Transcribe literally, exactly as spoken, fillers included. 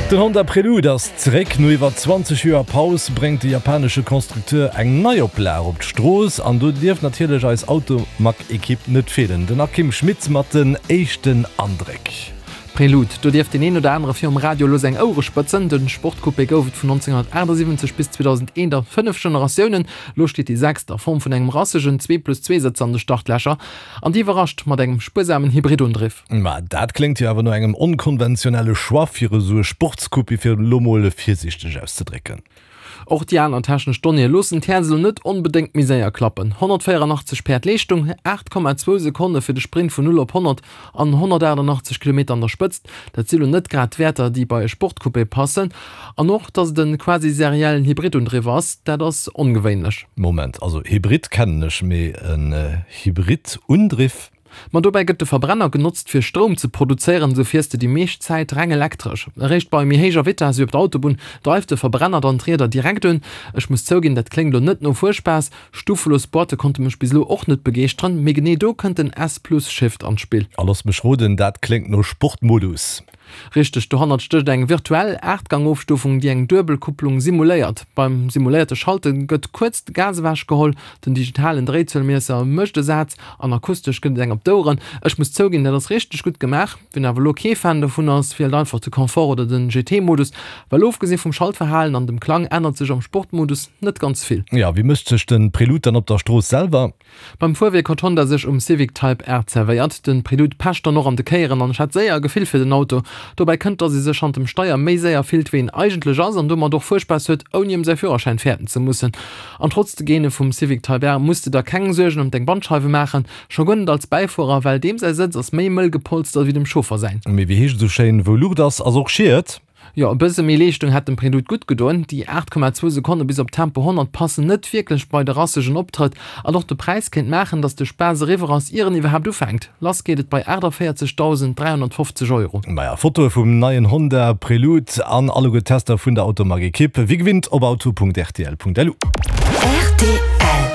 Den Honda Prelude ass zeréck. No iwwer zwanzeg Joer Paus bréngt de japanesche Constructeur eng Neioplag op d'Strooss an do dierf natierlech eis Automag-Ekipp net feelen. Den Akim Schmitz mat den éischten Andréck. Prelude, do dierft deen een oder anere virum Radio elo seng Ouere spëtzen. De Sportcoupé gouf et vun nonzénghunnertaachtsiwwenzeg bis zweedausendeen a fënnef Generatiounen. Elo steet déi sechst a Form vun engem rassegen Zwee-plus-zwee-Sëtzer an de Startlächer an déi iwwerrascht mat engem spuersamen Hybridundriff. Ma dat kléngt jo awer no engem onkonventionelle Choix fir esou e Sportscoupé, fir et elo mol virsiichteg auszedrécken. Och déi aner technesch Donnéeë loossen d'Häerz elo net onbedéngt méi séier klappen, honnertvéieranachtzeg Päerd Leeschtung, aacht Komma zwou Sekonne fir de Sprint vun null op honnert an honnertaachtanachtzeg Kilometer an der Spëtzt. Dat si lo net grad d'Wäerter, déi bei e Sportcoupé passen. An och, datt et e quasi seriellen Hybridundriff ass, dat ass ongewéinlech. Moment, also Hybrid kennen ech, mee en Hybridundriff? Ma dobäi gëtt de Verbrenner genotzt fir Stroum ze produzéieren, sou fiers de déi meescht Zäit reng elektresch. Eréischt bei méi héijer Vitess, wéi op der Autobunn, dreift de Verbrenner dann d'Rieder direkt un. Ech muss zouginn, dat kléngt lo net no Fuerspaass. Stufelos Boîte konnte mech bis elo och net begeeschteren, mee genee do kënnt den S-Plus Shift an d'Spill. A looss mech roden, dat kléngt no Sportmodus. Richteg, dohannert stécht eng virtuell Aachtgang-Ofstufung, déi eng duebel Kupplung simuléiert. Beim simuléierte Schalte gëtt kuerz de Gas ewechgeholl, den digitalen Dréizuelmiesser mécht e Saz an akustesch gëtt et eng op d'Oueren. Ech muss zouginn, dat ass richteg gutt gemaach. Wien awer elo kee Fan dovun ass, wielt einfach de Confort oder den G T-Modus, well ofgesi vum Schaltverhalen an dem Klang ännert sech am Sportmodus net ganz vill. Jo, wéi mécht sech de Prelude dann op der Strooss selwer? Beim Fuerwierk huet Honda sech um Civic Type R zerwéiert. De Prelude pecht dann och an de Kéieren an ech hat séier e Gefill fir den Auto. Dobäi kënnt, dass ee sech hannert dem Steier méi séier fillt wéi een eigentlech ass an domat och Fuerspaass huet, ouni ëm säi Führerschäin fäerten ze mussen. An trotz de Gene vum Civic Type R muss de der keng Suergen ëm deng Bandscheiwe maachen, scho guer net als Bäifuerer, well deem säi Sëtz ass méi mëll gepolstert wéi dem Chauffer säin. Mee wéi heescht et esou schéin, wou Luucht ass, ass och Schiet. Jo, e bësse méi Leeschtung hätt dem Prelude gutt gedoen. Déi aacht Komma zwou Sekonne bis op Tempo honnert passen net wierklech bei de rassegen Optrëtt. An och de Präis kéint maachen, datt de Spaass eriwwer ass, ier en iwwerhaapt ufänkt. Lass geet et bei aachtavéierzegdausend dräihonnertfofzeg Euro. Maja, Fotoe vum neien Honda Prelude an alleguer d'Tester vun der Automag-Ekipp, wéi gewinnt op auto Punkt rtl Punkt lu. Rtl.